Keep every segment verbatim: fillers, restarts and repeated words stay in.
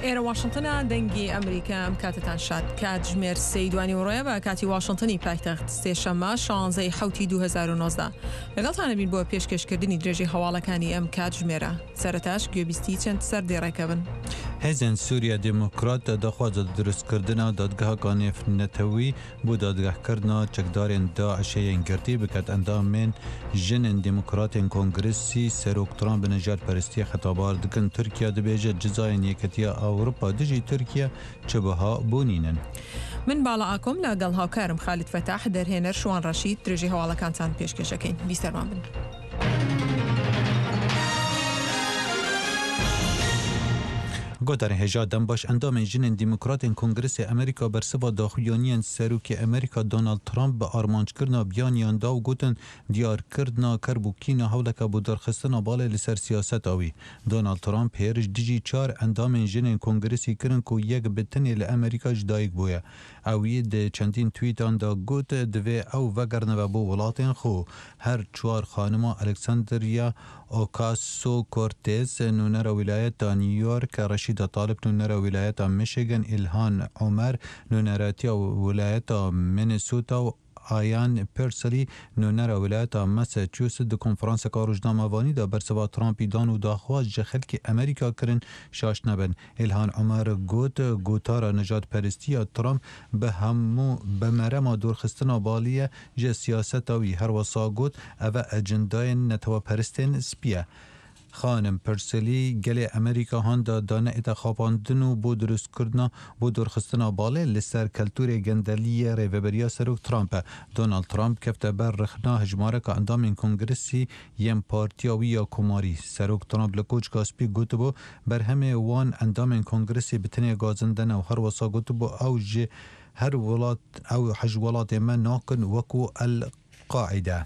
ئێرە واشنتنە، دەنگی ئەمریکا. ئەم کاتتان شاد. کاتژمێر سێی دوانیوەڕۆیە بە کاتی واشنتنی پایتەخت، سێشەممە شانزەی حەوتی دوو هەزار و نۆزدە. لەگەڵتانە بین بۆ پێشکێشکردنی درێژەی هەواڵەکانی ئەم کاتژمێرە. سەرەتاش گوێبیستی چەند سەردێڕێکە بن. هێزێن سووریا دێموکرات داخوازە دروستکردنا دادگەهەکا نێڤنەتەوی بۆ دادگەهکردنا چەکدارێن داعشێ yên girtî biket. Endamên jinên Demokratên Kongresî Serok Trump bi nijadperestiyê xetabar dikin. Tirkiye dibêje cizayên Yekîtiya Ewropa dijî Tirkiye çi biha bûnînin. من باڵا ئاکۆم لەگەڵ هاوکارم خالید فەتاح، دەرهێنەر شوان ڕەشید، درێژەی هەواڵەکانتان پێشکێشەکەین. بیسەرمان بن. گوتارên hêja dembaş. Endamên jinên Demokratên Kongresê Amerîka bersiva daxuyaniyên Serokê Amerîka Donald Trump bi armanckirina biyaniyan da û gotin diyarkirina kerb û kîna hewleke bo derxistina balê li ser siyaseta wî. Donald Trump hêriş dijî çar endamên jinên Kongresî kirin ku yek bi tenê li Amerîka ji dayik bûye. Ew di çendîn tweetan da got divê ew vegerine bo welatên xwe. Her çar xanima Alexandria Ocasio-Cortez nûnera wîlayeta New York, Reşîda Talib nûnera wîlayeta Michigan, İlhan Omer nûneratiya wîlayeta Minnesota û Ayan Perseli nûnera wîlayeta Massachusetts di konferanseka rojnamevanî de bersiva Trumpî dan û daxwaz ji xelkê Amerîka kirin şaş nebin. İlhan Omer got gotara nijadperestiya Trump bi hemû bi merema dûrxistina balî ji siyaseta wî. Her wisa got ev ecendayên neteweperestên spî ye. Xanim Perseli gelê Amerîka handa dane ête xapandin û bo dirustkirina bo dûrxistina balê li ser keltûrê gendeliyê rêveberiya Serok Trump e. Donald Trump kefte ber rexna hejmareka endamên Kongresî yên partiya wî ya Komarî. Serok Trump li Koçka Spî gotibû berhemê wan endamên Kongresê bi tenê gazinde ne û her wisa gotibû ew ji her welat ew hej welatê me nakin wekû El Qaîde.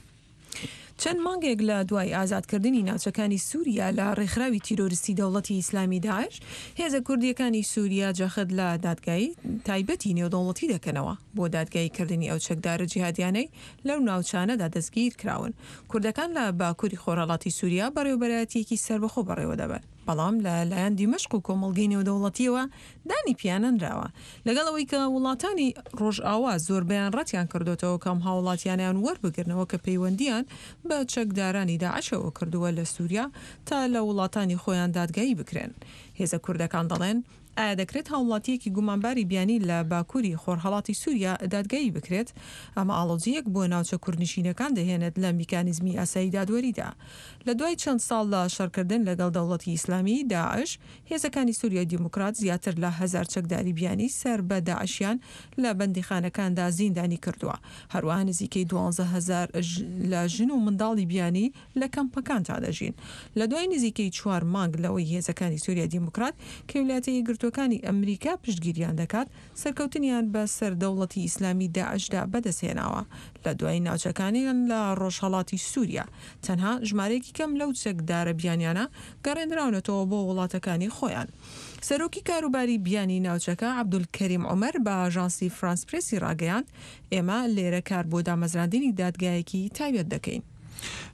چەند مانگێک لە دوای ئازادکردنی ناوچەکانی سووریا لە ڕێکخراوی تیرۆریستی دەوڵەتی ئیسلامی داعش، هێزە کوردیەکانی سووریا جەخت لە دادگایی تایبەتی نێودەوڵەتی دەکەنەوە بۆ دادگاییکردنی ئەو چەکدارە جیهادیانەی لەو ناوچانەدا دەستگیر کراون. کوردەکان لە باکووری خۆرهەڵاتی سووریا بەڕێوەبەرایەتیەکی سەربەخۆ بەڕێوە دەبەن، بەڵام لە لایەن دیمەشق و کۆمەڵگەی نێودەوڵەتیەوە دانی پیانەنراوە. لەگەڵ ئەوەی کە وڵاتانی ڕۆژئاوا زۆربەیان ڕەتیان کردوتەوە کەم هاوڵاتیانیان وەربگرنەوە کە پەیوەندیان بە چەکدارانی داعشەوە کردووە لە سووریا تا لە وڵاتانی خۆیان دادگایی بکرێن. هێزە کوردەکان دەڵێن ئایا دەکرێت هاوڵاتیەکی گومانباری بیانی لە باکووری خۆرهەڵاتی سووریا دادگایی بکرێت؟ ئەمە ئاڵۆزییەک بۆ ناوچە کوردنشینەکان دەهێنێت لە میکانیزمی ئاسایی دادوەریدا. لە دوای چەند ساڵ لە شەڕکردن لەگەڵ دەوڵەتی ئیسلامی داعش، هێزەکانی سووریای دیموکرات زیاتر لە هەزار چەکداری بیانی سەر بە داعشیان لە بەندیخانەکاندا زیندانی کردووە. هەروەها نزیکەی دوانزە هەزار لە ژن و منداڵی بیانی لە کەمپەکاندا دەژین. لە دوای نزیکەی چوار مانگ لەوەی هێزەکانی سووریای دیموکرات کە ویلایەتە یەکگرتووەکانی ئەمریکا پشتگیریان دەکات، سەرکەوتنیان بە سەر دەوڵەتی ئیسلامی داعشدا بەدەستهێناوە. لە دوای ناوچەکانیان لە ڕۆژهەڵاتی سووریا تەنها ژمارەیەکی کەم لەو چەکدارە بیانیانە گەڕێنراونەتەوە بۆ وڵاتەکانی خۆیان. سەرۆکی کاروباری بیانی ناوچەکە عەبدولکەریم عومەر بە ئاژانسی فرانس پرێسی ڕاگەیاند ئێمە لێرە کار بۆ دامەزراندنی دادگایەکی تایبەت دەکەین.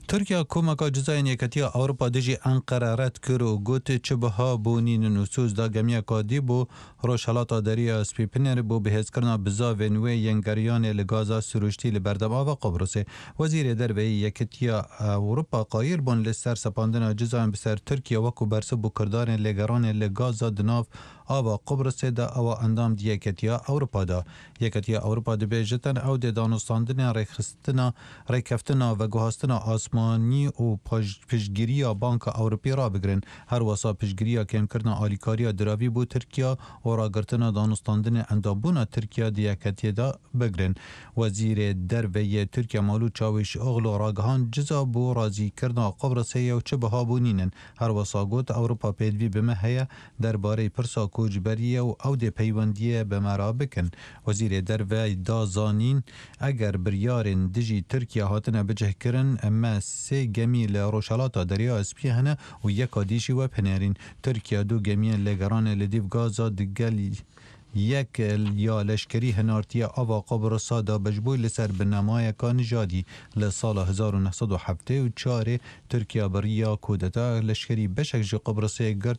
تورکیا کۆمەکا جزایên Yekîtiya Ewropa dijî Enqere red kir û got çi biha bûnînin û soz da gemiya dî bû Rojhilata Derya Spî Pinêr bû bihêzkirina bizavên wê yên geriyanê li gaza sirûştî li berdem ava Qibrisê. Wezîrê Derveyî Yekîtiya Ewropa qayîr bûn li ser sepandina cizayên bi ser Tirkiye wekû bersiv bû kirdarên lêgeranê li gaza di nav ava Qibrisê de ewa endam di Yekîtiya Ewropa de. Yekîtiya Ewropa dibêjitin ew dê danûstandinên rêxistina rêkeftina veguhastina asmanî û piştgiriya Banka Ewropî rabigirin. Her wisa piştgiriya kêmkirina alîkariya diravî bo Tirkiye û ragirtina danûstandinên endambûna Tirkiye di yeketiyê de bigirin. Wezîrê Derve yê Tirkiye Mevlut Çavuşoğlu ragihand ciza bo razîkirina Qibrisê ye û çi biha bûnînin. Her wisa got Ewropa pêdivî bi me heye derbarê pirsa koçberiyê û ew dê peywendiyê bi me re bikin. Wezîrê Derve da zanîn eger biryarên dijî Tirkiye hatine bicihkirin me sê gemî li Rojhilata Derya Spî hene û yeka dî jî we pinêrîn. Tirkiye du gemiyên lêgeranê li dîv gaza digel yek ya leşkerî hinartiye ava Qibrisê da bejbû li ser binemayeka nijadî. Li sala hezar û neh sed û heftê û çarê Tirkiye biriya kudeta leşkerî beşek ji Qibrisê girt.